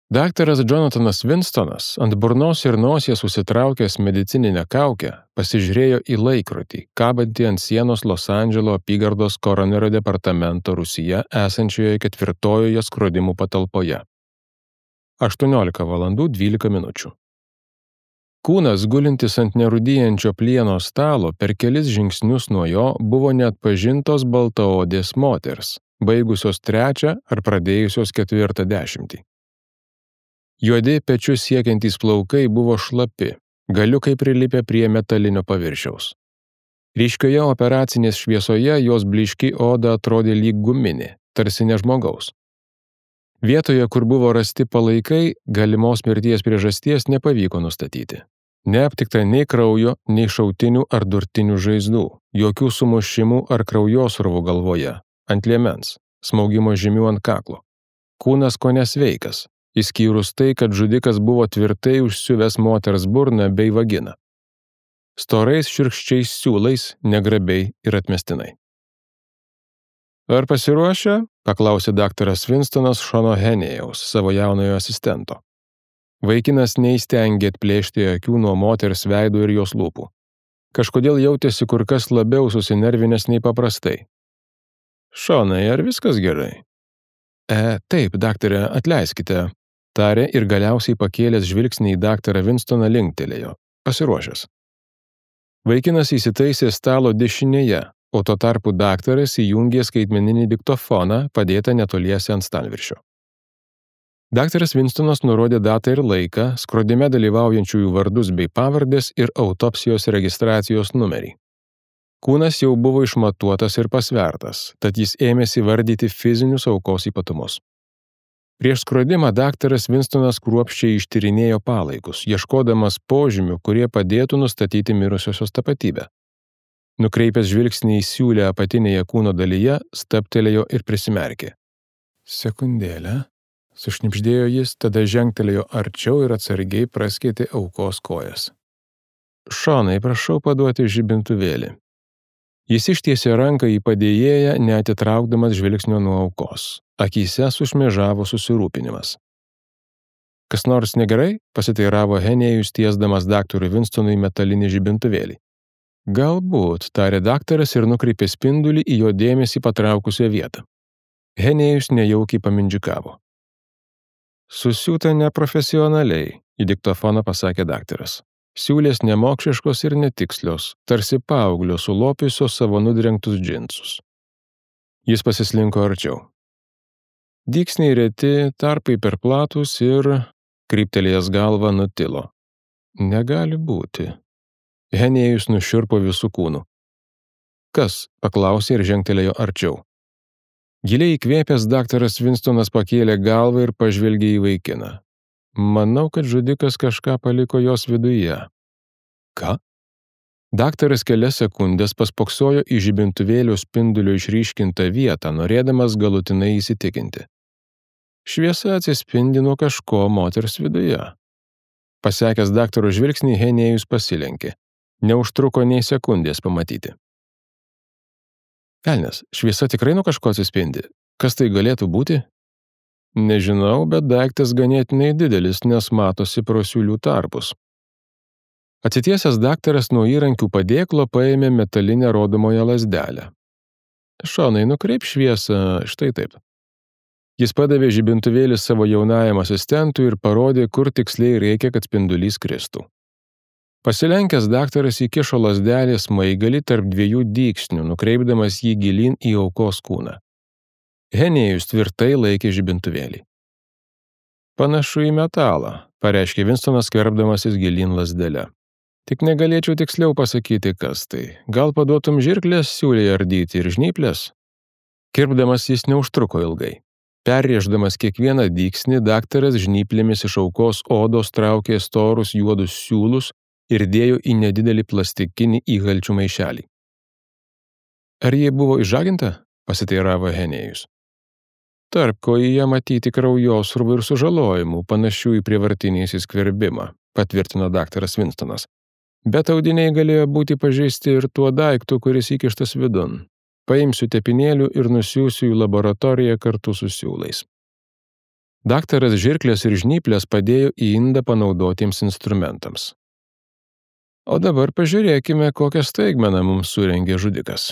Daktaras Jonathanas Winstonas ant burnos ir nosies susitraukęs medicininę kaukę pasižiūrėjo į laikrodį, kabantį ant sienos Los Andželo apygardos koronerio departamento Rūsyje esančioje 4-ojoje skrodimų patalpoje. 18:12. Kūnas, gulintis ant nerūdyjančio plieno stalo, per kelis žingsnius nuo jo buvo neatpažintos baltaodės moters, baigusios 3 ar pradėjusios 4 dešimtį. Juodi pečius siekiantys plaukai buvo šlapi, galiukai prilipę prie metalinio paviršiaus. Ryškioje operacinės šviesoje jos blyški oda atrodė lyg guminė, tarsi ne žmogaus. Vietoje, kur buvo rasti palaikai, galimos mirties priežasties nepavyko nustatyti. Neaptikta nei kraujo, nei šautinių ar durtinių žaizdų, jokių sumušimų ar kraujosruvų galvoje, ant liemens, smaugimo žymių ant kaklo. Kūnas kone sveikas, išskyrus tai, kad žudikas buvo tvirtai užsiuvęs moters burną bei vaginą. Storais šiurkščiais siūlais, negrabiai ir atmestinai. Ar pasiruošę? Paklausė daktaras Winstonas Šono Henėjaus, savo jaunojo asistento. Vaikinas neįstengė atplėšti akių nuo moters veido ir jos lūpų. Kažkodėl jautėsi kur kas labiau susinervinęs nei paprastai. Šonai, ar viskas gerai? Taip, daktare, atleiskite, tarė ir galiausiai pakėlęs žvilgsnį į daktarą Winstoną linktelėjo, pasiruošęs. Vaikinas įsitaisė stalo dešinėje, o tuo tarpu daktaras įjungė skaitmeninį diktofoną, padėtą netoliese ant stalviršio. Daktaras Winstonas nurodė datą ir laiką, skrodime dalyvaujančiųjų vardus bei pavardės ir autopsijos registracijos numerį. Kūnas jau buvo išmatuotas ir pasvertas, tad jis ėmėsi vardyti fizinius aukos ypatumus. Prieš skrodimą daktaras Winstonas kruopščiai ištyrinėjo palaikus, ieškodamas požymių, kurie padėtų nustatyti mirusiosios tapatybę. Nukreipęs žvilgsnį į siūlę apatinėje kūno dalyje, stabtelėjo ir prisimerkė. Sekundėlę, sušnibždėjo jis, tada žengtelėjo arčiau ir atsargiai praskėtė aukos kojas. Šonai, prašau paduoti žibintuvėlį. Jis ištiesė ranką į padėjėją, neatitraukdamas žvilgsnio nuo aukos. Akyse sušmėžavo susirūpinimas. Kas nors negerai? Pasiteiravo Henėjus, tiesdamas daktarui Winstonui metalinį žibintuvėlį. Galbūt, tarė daktaras ir nukreipė spindulį į jo dėmesį patraukusią vietą. Henėjus nejaukiai pamindžikavo. Susiūta neprofesionaliai, į diktofoną pasakė daktaras. Siūlės nemokšiškos ir netikslios, tarsi paauglio sulopiusios savo nudrengtus džinsus. Jis pasislinko arčiau. Dygsniai reti, tarpai per platus ir, kryptelėjęs galvą, nutilo. Negali būti. Henėjus nušiurpo visų kūnų. Kas? Paklausė ir žengtelėjo arčiau. Giliai įkvėpęs daktaras Winstonas pakėlė galvą ir pažvelgė į vaikiną. Manau, kad žudikas kažką paliko jos viduje. Ką? Daktaras kelias sekundės paspoksojo į žibintuvėlio spindulio išryškintą vietą, norėdamas galutinai įsitikinti. Šviesa atsispindi nuo kažko moters viduje. Pasekęs daktaro žvilgsnį, Henėjus pasilenkė. Neužtruko nei sekundės pamatyti. Velnias, šviesa tikrai nuo kažko atsispindi. Kas tai galėtų būti? Nežinau, bet daiktas ganėtinai didelis, nes matosi pro siūlių tarpus. Atsitiesęs daktaras nuo įrankių padėklo paėmė metalinę rodomoją lazdelę. Šonai, nukreip šviesą štai taip. Jis padavė žibintuvėlį savo jaunajam asistentui ir parodė, kur tiksliai reikia, kad spindulys kristų. Pasilenkęs daktaras įkišo lazdelį smaigalį tarp 2 dygsnių, nukreipdamas jį gilyn į aukos kūną. Henėjus tvirtai laikė žibintuvėlį. Panašu į metalą, pareiškė Winstonas, skverbdamasis gilyn lazdelę. Tik negalėčiau tiksliau pasakyti, kas tai. Gal paduotum žirklės siūlei ardyti ir žnyplės? Kirpdamas jis neužtruko ilgai. Perrėždamas kiekvieną dygsnį, daktaras žnyplėmis iš aukos odos traukė storus juodus siūlus ir dėjo į nedidelį plastikinį įgalčių maišelį. Ar jie buvo išžaginta? Pasiteiravo Henėjus. Tarp kojyje matyti kraujosruvų ir sužalojimų, panašių į prievartinį įsiskverbimą, patvirtino daktaras Winstonas. Bet audiniai galėjo būti pažeisti ir tuo daiktu, kuris įkištas vidun. Paimsiu tepinėlių ir nusiųsiu į laboratoriją kartu su siūlais. Daktaras žirklės ir žnyplės padėjo į indą panaudotiems instrumentams. O dabar pažiūrėkime, kokią staigmeną mums surengė žudikas.